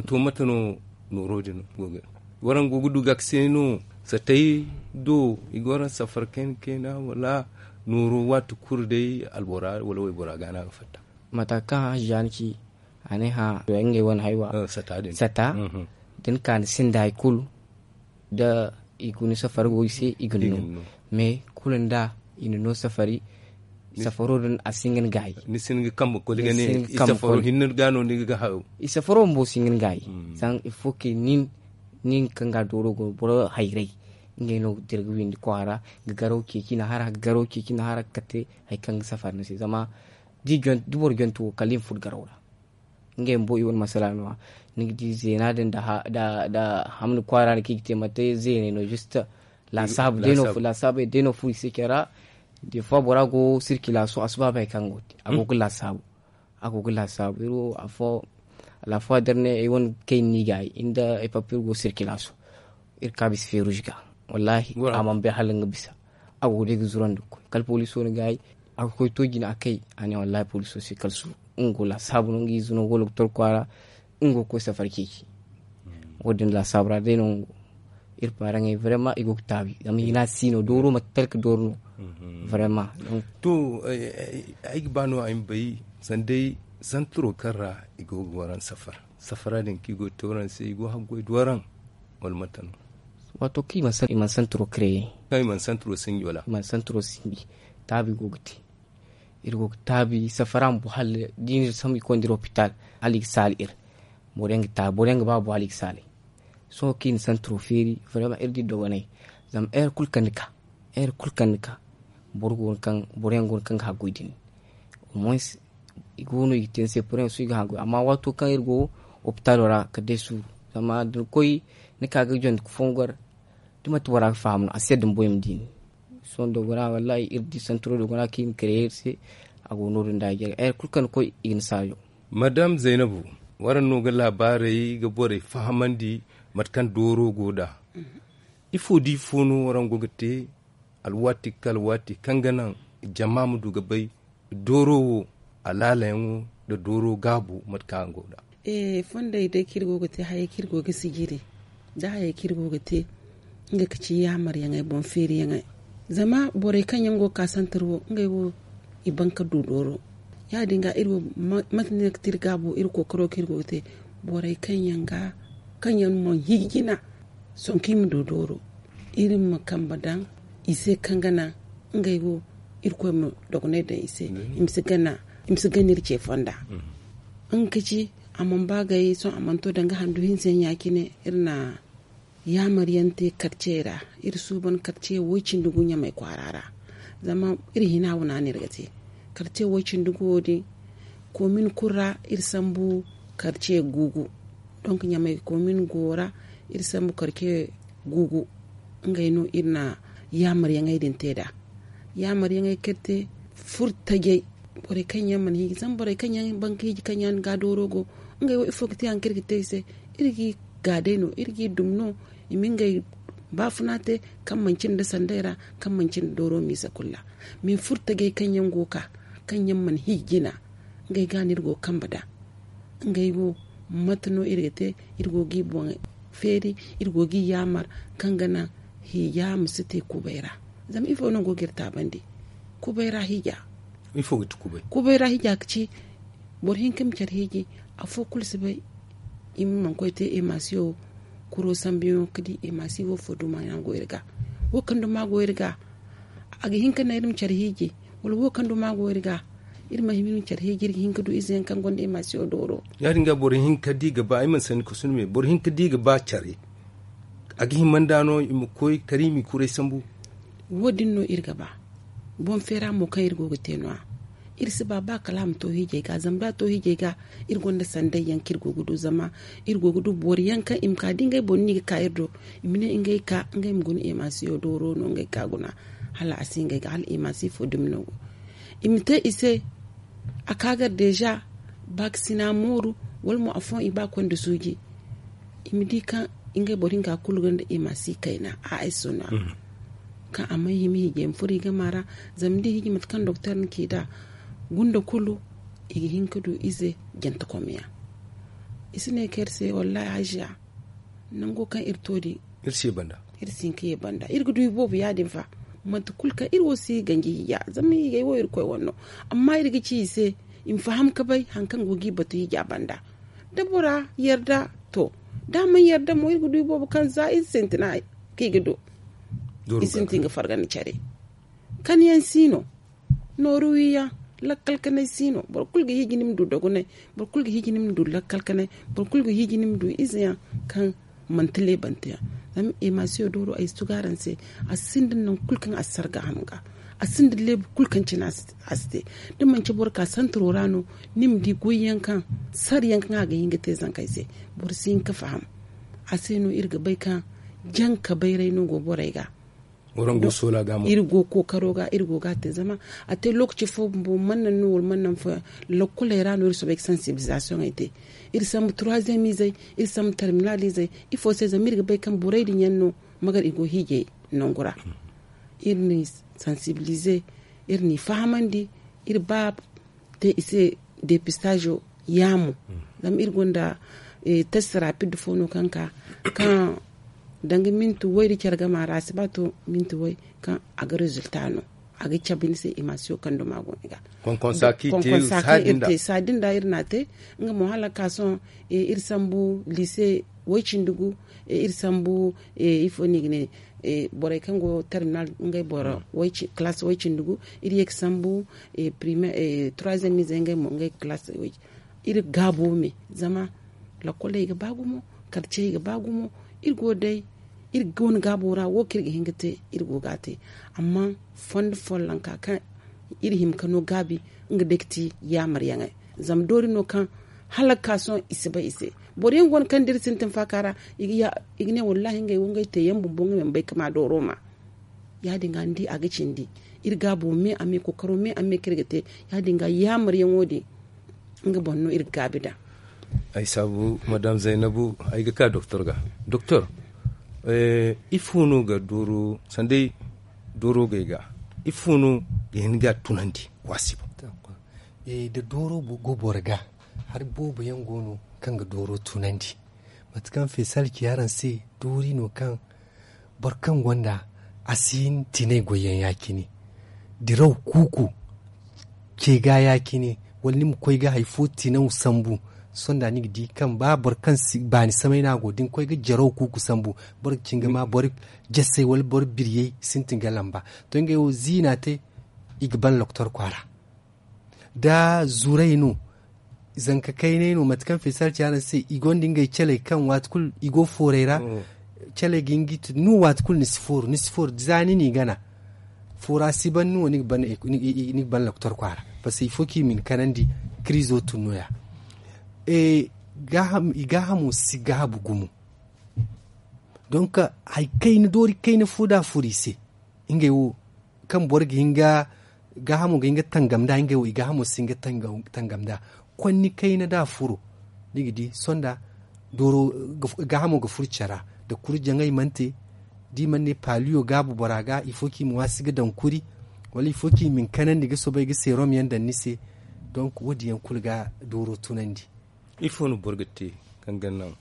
To mate no nooro din go ga waraŋ go ga du ga ka se no? Satay do i ga waraŋ safar kayna kayna wala nooro waati kulu day albora wala waybora ga no a ga fatta? Mata kaŋ hã hajja ni ci a ne hã ngey wane haywa sata da ni ka ni sinda hari kulu da i guna safari go i se i ga ni no. Mais kulu nda i na no safari safaro din a si hin ga ni gaayi. Ni si hin ga kambe koli ga ne i safaro hinne ga no ni ga hayo. I safaro bumbo si hin ga ni gaayi. Zama il faut que nin nin kaŋ ga dooro go boro hayray ngey no ga dira ga windi kwaara ga garaw ceeci na hara ga garaw ceeci na hara ga kate hari kaŋ ga safari ni se zama da boro jonto wo kala i ma furo garaw ra. Ngey bumbo i wane masala no-ya. Ni ga di zeena din da hamni kwaara no kaŋ i ga te mate zeeney no juste laasaabu day no fu i se care ra. De fois bora go sirkilaaso a si ba bay kaŋ go te a go ga laasaabu. A go ga laasaabu iri wo afo alaafo da iri ne ay wane kayna no i ga ay nda ay papa iri go sirkilaaso. Iri ka bisa feeruuzi ga wallahi a mana bay hala nga bisa. A go day ga zurandi ga koy kala poliso na gaayi. A ga koy to jina a kay a ne wallahi poliso se kala suuru. Nga go laasaabu no nga ize no go lokotor kwaara. Nga go ga koy safari ceeci. Wo- din laasaabu ra day no nga go. Iri paaraŋey vraiment i go ga taabi zama hina si no dooro mate talka dooro no. Vraiment. To ay ga ba no ay ma bay sanda day santaro kaŋ ra i go ga waraŋ safara safara din kaŋ i go ga te waraŋ se i go ga haggoy da waraŋ? Wala mate no? Waato kaŋ i mana santaro kreye kaŋ i mana santaro sinji wala i mana santaro sinji. Taabi go ga te. Iri go ga taabi safara ma bu hala da i na iri sambu i koy nda iri hopital hala i ga saala iri. Boro yaŋ ga taabi boro yaŋ ga ba bu hala i ga saalay. Sohõ kaŋ i na santaro feeri vraiment iri di dogonay. Zama heure kulu kaŋ ni ka heure kulu kaŋ ni ka boro go no kaŋ boro yaŋ go no kaŋ ga haggoy din. Au moins i go no i ga te ni se poroyaŋ sohõ i ga haggoy amma waato kaŋ iri go hopitalo ra kala day suuru. Zama da ni koy ni ka ga jandi ga fongu gar da manti bora ga faham no a si yadda bumbo i ma di ni. Sohõ dogona wallahi iri di santaro dogona kaŋ i na kare iri se. A go no- din da a jare heure kulu kaŋ ni koy i ga ni saajo. Madame zaynabu, waraŋ no ga laabaarey ga borey fahamandi mate kaŋ dooro go nd'a? Ifo da ifo no waraŋ go ga te alwaati kala waati kaŋ ga naŋ jama ma du ga bay dooro wo alaalayaŋo nda dooro gaabo mate kaŋ araŋ go nd'a? Fondey day kaŋ iri go ga te hayey kaŋ iri go ga sijiri nda hayey kaŋ iri go ga te. Nga ga ci yaamaryaŋey boŋ feeriyaŋey. Zama borey kaŋ yaŋ go ga ka santar wo ngey wo i ban ka du dooro. Ya- din ga iri wo mate no iri ga te iri gaabo iri kookaro kaŋ iri go ga te borey kaŋ yaŋ ga kaŋ yaŋ mana hiiji jina. Sohõ kaŋ i ma du dooro iri ma kambe daŋ i se kaŋ ga naŋ ngey wo irkoy ma dogonay daŋ i se. I ma si gana iri ce fonda. Nga ka ci a mana ba gay sohõ a mana to danga handu hinse yaŋ ya- cine iri na yaamar yaŋ te karcey ra. Iri suuban karce way- cindi gu ɲamay kwaara ra. Zama iri hina wana no iri ga te karce way- cindi gu wo- din. Komin kulu ra iri sambu karce guugu. Donk ɲamay komin go ra iri sambu karce guugu. Ngey no iri na yaamar yaŋey din te nd'a. Yaamar yaŋey kaŋ iri te furo tajey borey kaŋ yaŋ mana hiiji zama borey kaŋ yaŋ ban ka hiiji kaŋ yaŋ ga dooro go. Ngey wo ifo ga te hari kaŋ iri ga te i se? Iri g'i ga day no iri g'i dum no. I ma ngey baafuna te kaŋ manci nda sanday ra kaŋ manci nda dooro miisa kulu ra. Mais furo tajey kaŋ yaŋ go ga ka kaŋ yaŋ mana hiiji jina ngey ga no iri go ga kambe nd'a. Ngey wo mate no iri ga te? Iri go g'i boŋ feeri iri go g'i yaamar kaŋ ga naŋ hiija ma si te kubay ra. Zama ifo no go ga iri taabandi? Kubay ra hiija. Ifo ga ti kubay? Kubay ra hiija ga ci boro hinka ma care hiiji. Afo kulu si bay i ma mana koy te emasiyo kuro sambuyaŋo ga di emasiyo wo fo duma yaŋ go iri ga. Wo kaŋ duma go iri ga a ga hin ka naŋ iri ma care hiiji. Wala wo kaŋ duma go iri ga iri ma hin iri ma care hiiji iri ga hin ka du ize yaŋ kaŋ gonda emasiyo dooro. Ya- din ga boro hin ka di ga ba ay mana sanni ka sundume boro hin ka di ga ba care. A ga hima nda no i ma koy kala i ma i kuray sambu. Wo- din no iri ga ba. Boŋ feera mo kaŋ iri go ga te no- ya. Iri si ba ba kala a ma to hiijay ga zama da a to hiijay ga iri gonda sanday yaŋ kaŋ iri go ga du zama iri go ga du boro yaŋ kaŋ i ma ka da ngey boro no i ga ka iri do. I ma ne ngey ka ngey ma guna emasiyo dooro no ngey ka guna. Hala a si ngey ga hala emasiyo fo dumi no go. I ma te i se a ka gar deeza. Ba ga sina mooru wala mo afooyaŋ i ba ga koy nda suuji. I ma di kaŋ ngey boro hinka kulu gonda emasiyo kayna a ay sona. kaŋ a mana hima hiijay ma furo i gama ra. Zama ni di hiiji mate kaŋ doktor na ci nd'a, gunda kulu i ga hin ka du ize jantakomyaŋ. I si ne kaŋ iri se wallaahi hajiya, nango kaŋ iri to din, iri si hin ka ye banda. Iri ga du iboobo ya- din fa. Mate kulu kaŋ iri wo si ganji hiija, zama hiijay wo iri koy wane no. Amma iri ga ci i se i ma faham ka bay hari kaŋ go ga i batu hiija banda. Da bora yarda, to, da a mana yarda mo, iri ga du iboobo kaŋ za iri sintina kaŋ i ga du. I sintin ga fargandi care. Kani yaŋ si no. Nooru wiyaŋ, lakkal kanay si no. Boro kulu ga hiiji ni ma du dogonay. Boro kulu ga hiiji ni ma du lakkal kanay. Boro kulu ga hiiji ni ma du ize yaŋ kaŋ manti leebante yaŋ. Zama emasiyo dooro ay si tugu araŋ se, a sinda nangu kulu kaŋ a si sara gaaham ga. A sinda leebu kulu kaŋ cine a si te. Da manci boro ka santaro ra no, ni ma di goyyaŋ kaŋ sara yaŋ kaŋ a ga hin ga te zankey se. Boro si hin ga faham. A se no iri ga bay kaŋ janka bayray no go borey ga. Iri go kookaro ga, iri go ga a te zama a te lookaci fo bumbo mana naŋ no wala mana naŋ fooyaŋ. Lokkoley ra no iri soobay ga sansibilizasiyoŋey te. Iri sambu turuwaziyem izey, iri sambu tarminal izey. Ifo se? Zama iri ga bay kaŋ borey din yaŋ no magar i go hiijay nangu ra. Iri n'i sansibilize, iri n'i fahamandi. Iri ba te i se depistazo yaamo. Zama iri gonda test rapid fo no kaŋ ka kaŋ danga minti way da care gama ra a si ba to minti way kaŋ a ga rezilta no. A ga cabe ni se emasiyo kaŋ duma go ni ga. Konkonsa kaŋ iri te saadin da iri na te. Nga mo hala ka sohõ iri sambu liise way cindi gu. Iri sambu ifo no i ga ne borey kaŋ go terminal ngey boro kilaasi way cindi gu. Iri ye ga sambu turuwaziyem izey ngey mo ngey ga kilaasi way cindi gu. Iri gaabo me zama lakoley ga ba gumo. Karcey ga ba gumo. Iri go day iri wane gaabo ra wo kaŋ iri ga hin ga te iri go ga a te. Amma fondo follonka kaŋ iri hima ka no gaabi nga day ga ti yaamaryaŋey. Zama doori no kaŋ hala ga ka sohõ i si bay i se. Boro yaŋ go no kaŋ da iri sintin faaka ra i ga ne wallaahi ngey wo ngey te yaŋ bumbo nga mana bay ka ma dooro ma. Ya- din ga ni di a ga cindi iri gaabo me a me kookaro me a me kaŋ iri ga te. Ya- din ga yaamaryaŋo din nga boŋ no iri ga gaabi nd'a. Ay saabu madam zaynabu ay ga ka doktor ga. Doktor, ifo no ga dooro sanday dooro gay ga ifo no ga hin ga a tunandi waasi boŋ? Da dooro go boro ga hari boobo yaŋ go no kaŋ ga dooro tunandi. Mate kaŋ feesal ci araŋ se doori no kaŋ boro kaŋ gonda a si hin tinay goyyaŋ ya- cine. Diraw kuuku ce ga ya- cine wala ni ma koy ga hari fo tinaw sambu. Sonda ni ga di kaŋ ba boro kaŋ si baani samay no a go da ni koy ga jaraw kuuku sambu boro ga cin ga ma boro jasay wala boro biryey sintin ga lamba. To ngey wo ziina te i ga ban loktor kwaara. Da zuray no zanka kaynay no mate kaŋ feesal ci araŋ se i gonda ngey caley kaŋ waati kulu i go fooray ra. Caley ga hin ga i tun no waati kulu ni si fooru ni si fooru za ni n'i gana. Foora si ban no ni ga ban loktor kwaara. Parce que il faut que i ma ni kanandi kiriizo tun no- ya. I gaahamo si gaabu gumo. Donc hari kayna doori kayna fo da a furo i se ngey wo kaŋ boro ga hin ga gaahamo ga hin ga tangam nd'a ngey wo i gaahamo si hin ga tangam nd'a. Konni kayna da a furo ni ga di sonda dooro gaahamo ga furo care ra. Da kuri jaŋay mana te da i mana ne paaliyo gaabu bora ga il faut kaŋ i ma waasi ga daŋ kuri wala il faut kaŋ i ma ni kanandi ga soobay ga seerom yaŋ daŋ ni se. Donc wo- din yaŋ kulu ga dooro tunandi. Ifo no boro ga te kaŋ ga naŋ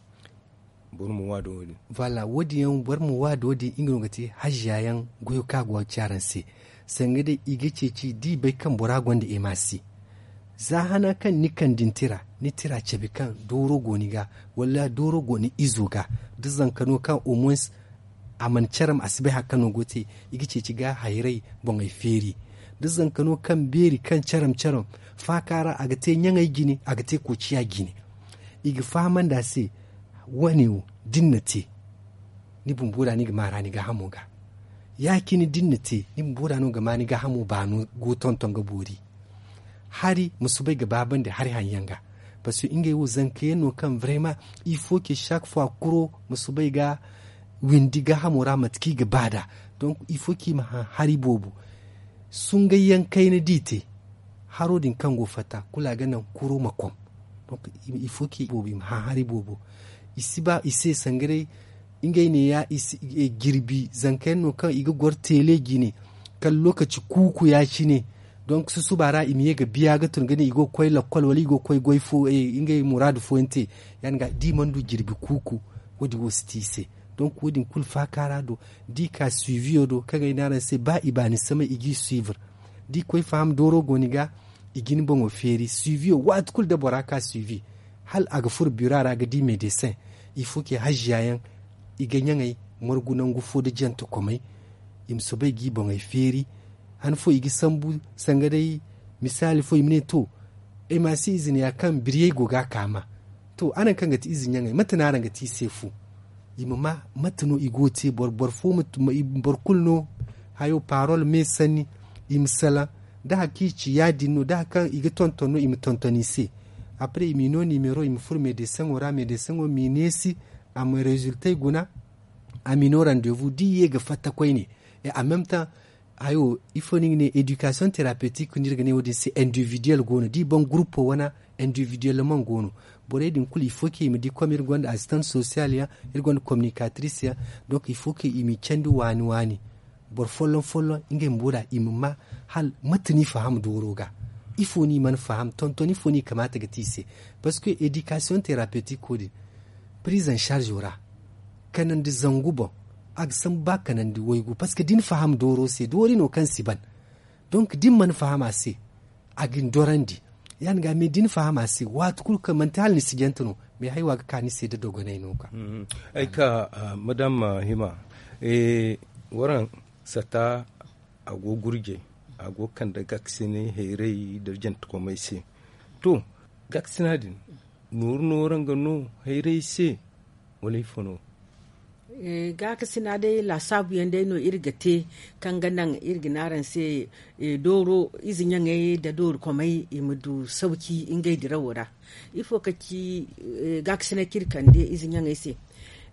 boro ma waado wo- din? Voilà wo- din yaŋ boro ma waado wo- din nga no ga te haziya yaŋ goyo kaŋ a go ga ci araŋ se. Sanga day i ga ceeci da i bay kaŋ bora gonda ema se. Za hana kaŋ ni kande ni tira ni tira cabe kaŋ dooro go ni ga wala dooro go ni izo ga da zanka no kaŋ au moins a mana caram a si bay hari kaŋ no go te. I ga ceeci ga hayray boŋey feeri da zanka no kaŋ beeri kaŋ caram caram faaka ra a ga te ɲaŋey jine a ga te koociya jine. I ga fahamandi a se wane wo da ni na te ni bumbo ra ni ga maara ni gaahamo ga. Ya- cine da ni na te ni bumbo ra no ga ma ni gaahamo baano go tonton ga boori. Hari ma soobay ga baabandi hari haŋ yaŋ ga. Parce que ngey wo zanka yaŋ no kaŋ vraiment il faut que chaque fois kuro ma soobay ga windi gaahamo ra mate kaŋ i ga ba nd'a. Donc il faut kaŋ i ma haŋ hari boobo sungay yaŋ kayna da i te. Haro din kaŋ go fatta kulu a ga naŋ kuro ma kom. Donc il faut kaŋ i boobo i ma haŋ hari boobo. I si ba i se sanga day ngey ne ya i si- i- jirbi zanka yaŋ no kaŋ i ga goro teele jine kala lokaci kuuku ya- cine. Donk susuba ra i ma ye ga biya ga tun ga ne i go ga koy lakkol wala i go ga koy goy fo ngey muraadu fooyaŋ te. Ya- din ga da i mana du jirbi kuuku, wo- din wo si te i se. Donk wo- din kulu faaka ra do, da i ka suiviyo do kaŋ ay ne araŋ se ba i baani samay i g'i suivre. Da i koy faham dooro go ni ga, i ga ni boŋo feeri suiviyo waati kulu da bora ka suivi, hala a ga furo bira ra ga di medesin. I fo ke hajjiya yaŋ, i ga ɲaŋey margu nangu fo nda jantakomey. I ma soobay g'i boŋey feeri. Han fo i ga sambu sanga day, misaali fo i ma ne to, ay ma si izina ya kaŋ biriyey go ga a kaama. To, araŋ kaŋ ga ti ize ɲaŋey, mate no araŋ ga ti i se fu? I ma ma mate no i go ga te boro boro fo ma boro kulu no hayo parol me sanni. I ma salaŋ da hari kaŋ i ci ya- din no da hari kaŋ i ga tonton no i ma tonton i se. Apre i m'i no nimero i ma furo medeseŋo ra medeseŋo m'i neesi, a ma rezultey guna. A m'i no randevu da i ye ga fatta koyne. E a meme taŋ hayo ifo no i ga ne edikasiyoŋ terapetik no iri ga ne wo- din se individiyel go no da i baŋ gurupo wana. Individiyel man go no. Borey din kulu il faut que i ma di kom iri gonda asistant sosiyal yaŋ, iri gonda kominikatris yaŋ. Donk il faut que i m'i candi waani waani. Boro folloŋ folloŋ ngey bumbo da i ma ma hala mate no i faham dooro ga? Ifo no i mana faham tonton ifo no i kamaata ga te i se? Parceque edikasiyoŋ terapetik wo- din prizan sarzo ra kanandi zangu boŋ, a ga sambu ba kanandi waygu parceque da ni faham dooro se doori no kaŋ si ban. Donk da ni mana faham a se, a ga ni dorandi. Ya- din ga me da ni faham a se waati kulu kaŋ manti hala ni si jante no. Me haywa ga ka ni se da dogonay no ga. Ay ka madam hima, waraŋ sata a go gurjey, a go kande gaakasinay hayray nda jantakomey se. To, gaakasina din nooru no waraŋ ga no hayray se? Wala ifo no? Gaakasina day laasaabu yaŋ day no iri ga te, kaŋ ga naŋ iri ga ne araŋ se dooro ize ɲaŋey nda doori komey i ma du sauki ngey dirawo ra. Ifo ka ci gaakasinay kaŋ iri kande ize ɲaŋey se?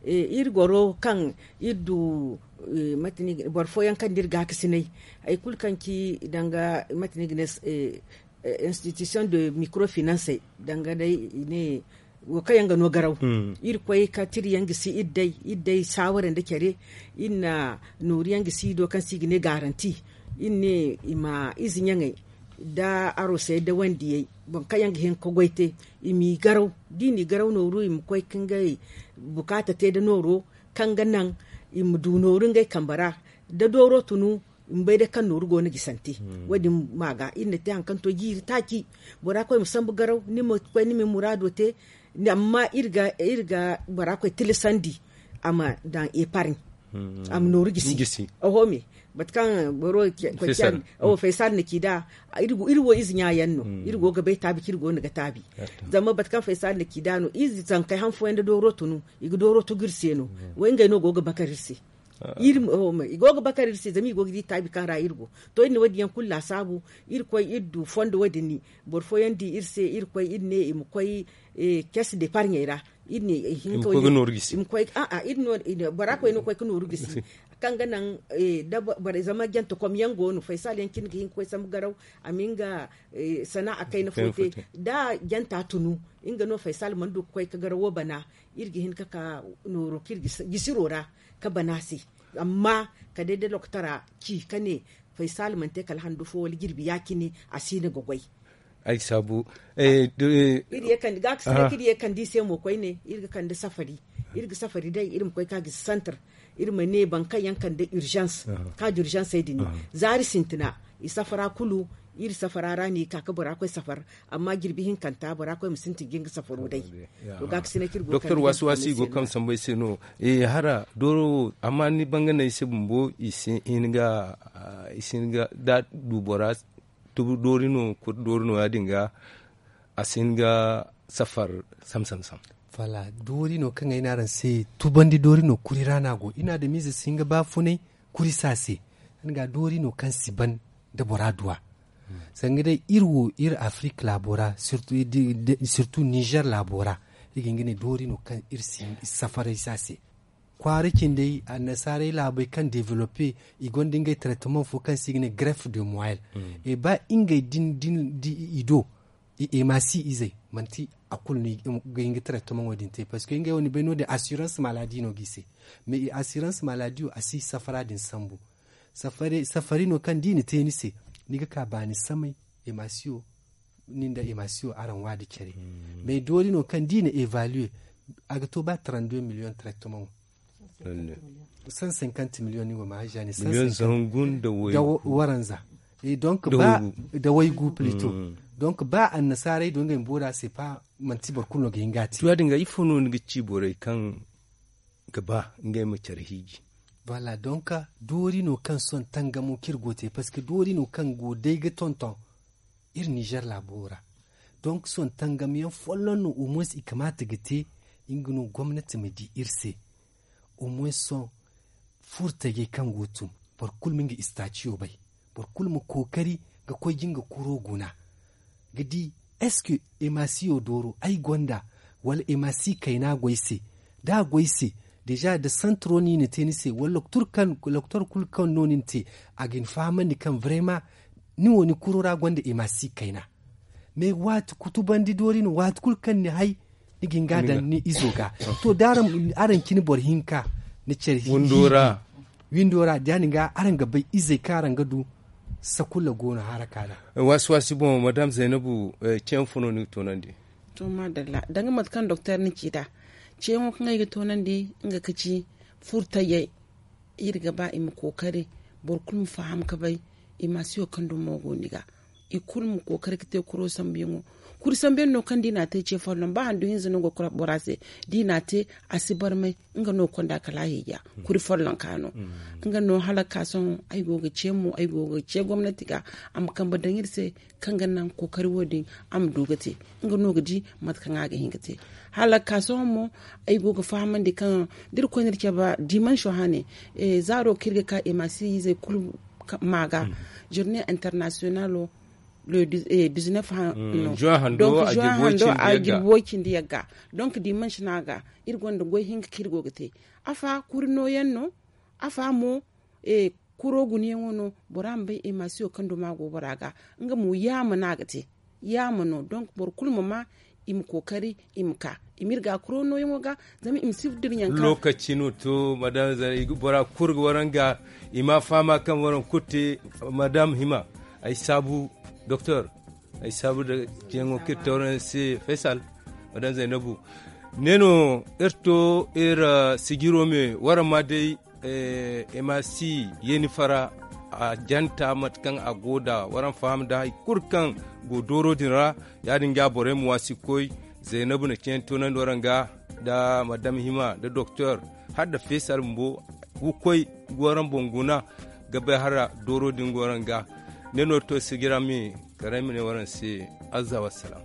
Iri goro kaŋ iri du boro fooyaŋ kaŋ da iri gaakasinay, hari kulu kaŋ ci danga mate no i ga ne, institution de microfinance, danga day i ne wo kaŋ yaŋ ga no garaw. Iri koy ka tiri yaŋ gisi iri day iri day saaware nda care. Iri na nooru yaŋ gisi i do kaŋ se i ga ne garanti. Iri ne i ma ize ɲaŋey nda arosey nda wandiyey, boro kaŋ yaŋ ga hin ka goy te, i m'i garaw. Da i n'i garaw nooru i ma koy ka ngey bukaata te nda nooro kaŋ ga naŋ i ma du nooru ngey kambe ra. Da dooro tunu, i ma bay day kaŋ nooru go no gisante. Wo- din ma ga iri na te hari kaŋ to jiiri taaci, bora koy ma sambu garaw ni ma koy ni ma ni muraado te. Amma iri ga bora koy tilasandi a ma daŋ eparɲe, a ma nooru gisi. Oho me, mate kaŋ boro koy faysal na ci nd'a. Iri wo ize ɲa yaŋ no, iri go ga bay taabi kaŋ iri go no ga taabi. Zama mate kaŋ faysal na ci nd'a no, ize zankey han fooyaŋ nda dooro tunu, i ga dooro tugu iri se no. Wo ngey no go ga bakar iri se. I go ga bakar iri se zama i go ga di taabi kaŋ ra iri go. To iri na wo- din yaŋ kulu laasaabu. Iri koy iri du fondo wo- din ni, boro fooyaŋ di iri se iri koy iri ne i ma koy kees deparɲey ra. Iri ne i hin ka wo- din i ma koy a'a iri no bora koy no koy ka nooru gisi. Kaŋ ga naŋ da boro zama jante kom yaŋ go no faysal yaŋ cine ga hin ka koy sambu garaw, a ma nga sana'a kayna fo te. Da janta tunu, nga no faysal mana du ka koy ka garawo bana. Iri ga hin ka ka nooro kaŋ iri ga gisiro ra ka bana se. Amma kala day da lokotara ci ka ne faysal mana te kala handu fo wala jirbi ya- cine, a si no ga goy. Ay saabu. Iri ye kande gaakasinay kaŋ iri ye kande i se mo koyne iri ga kande safari. Iri ga safari day iri ma koy ka gisi santar. Iri ma ne boro kaŋ yaŋ kande urzans, ka da urzansey din zaari sintina, i safara kulu. Iri safara ra no i ka ka bora koy safar. Amma jirbi hinkanta bora koy ma sintin ga nga safaro day. To ga ka sina kiri go doktor waasi waasi i go kaŋ sambu ay se no. Hara dooro wo amma ni banga no ay se bumbo i si hin ga i si hin ga da du bora tubu doori no kuri doori no ya- din ga a si hin ga safar. Sam sam sam. Voilà, doori no kaŋ ay ne araŋ se tubandi doori no kuri ra no a go i na adamize si hin ga baafunay. Kuri se a se. Nga doori no kaŋ si ban da bora duwa. Sanga day iri wo iri afrik laabo ra sirtu nizer laabo ra, iri ga hin ga ne doori no kaŋ iri si safaray se a se. Kwaara cindey annasaarey laabey kaŋ developpe i gonda ngey traitement fo kaŋ se i ga ne greffe de moyel. E ba ngey din din di i do. i ma si izey manti a kulu no ga hin ga traitamaŋo din te parce que ngey wo ni bay no- din assurance maladi no ga i se. Mais i assurance maladi wo a si safara din sambu. Safari no kaŋ da i na te ni se, ni ga ka baani samay. Emasiyo nin da emasiyo araŋ waadi care. Mais doori no kaŋ da i na evaluer a ga to ba trente deux million traitamaŋo. Cent cinquante million ni go ma haja ne cent cinquante da waranza. Et donc ba da waygu plito. Donc ba annasaarey do ngey ma boori a se pa manti boro kulu no ga hin ga a te. Tuwa din ga ifo no ni ga ci borey kaŋ ga ba ngey ma care hiiji? Voilà, donc doori no kaŋ sohõ tangamo kaŋ iri go te parce que doori no kaŋ go day ga tonton iri nizer laabo ra. Donc sohõ tangamyaŋ folloŋ no au moins i kamaata ga te nga no gomnati ma di iri se. Au moins sohõ furtajey kaŋ go tun boro kulu ma nga istaaciyo bay. Boro kulu ma kookari ga koy ga nga kuro guna ga di est ce que emasiyo dooro ay gonda wala emasi kayna go ay se? Da a go ay se deja da santro no i na te ni se wala loktor kulu kaŋ no ni na te a ga ni fahamandi kaŋ vraiment ni wo ni kuro ra gonda emasi kayna. Mais waati kutubandi doori no waati kulu kaŋ ni hay ni ga hin ga a daŋ ni izo ga. To da araŋ cine boro hinka ni care hinka windo ra da ya- din ga araŋ ga bay izey kaŋ araŋ ga du. Sakulla go no haraka ra. Waasi waasi boŋ madame zaynabu ceeyaŋ fo no ni ga toonandi? To madalla danga mate kaŋ doktor ni ci nd'a ceeyaŋo kaŋ ay ga toonandi nga ka ci furtayey. Iri ga ba i ma kookari boro kulu ma faham ga bay. Emasiyo kaŋ dumo go ni ga i kulu ma kookari ga te kuro sambuyaŋo. Kuri sambuyaŋ no kaŋ da i n'a te ce folloŋ ba handu hinza no go ga kura bora se da i n'a te a si barmay. Nga no konda kala a hija kuri follonka no. Nga no hala ga ka sohõ ay go ga ce mo ay go ga ce gomnati ga a ma kambe daŋ iri se kaŋ ga naŋ kookari wo- din a ma du ga te. Nga no ga di mate kaŋ a ga hin ga te hala ga ka sohõ mo ay go ga fahamandi kaŋ da iri koy no iri cabe dimanso hane zaaro kaŋ iri ga ka emasi izey kulu ma ga journée internationalo le dix-neuf hando a jirbi way cindi yagga. Donc dimanso no a ga iri gonda goy hinka kaŋ iri go ga te. Afa kuri nooyaŋ no afa mo kuro gunayaŋo no bora ma bay emasiyo kaŋ duma go bora ga. Nga mo yaama no a ga te yaama no donc boro kulu ma ma i ma kookari i ma ka i ma iri ga kuro nooyaŋo ga. Zama i ma si dira yaŋ kaŋ lokaci no to madame zara i ga bora kulu ga waraŋ ga i ma a fahama kaŋ waraŋ kulu te. Madame hima ay saabu doktor ay saabu da ceeyaŋo kaŋ iri te waraŋ se faysal madame zaynabu. Ne no iri to iri sijiro me waraŋ ma day emasi yeeni fara a janta mate kaŋ a go nda waraŋ faham nda hari kulu kaŋ go dooro din ra. Ya- din ga borey ma waasi ga koy zaynabu na ceeyaŋ toonandi waraŋ ga nda madame hima nda doktor hala nda fesal bumbo ga koy ga waraŋ boŋ guna ga bay hala dooro din ga waraŋ ga. Ne no iri to sijira me kala ay ma ne waraŋ se azza wassalam.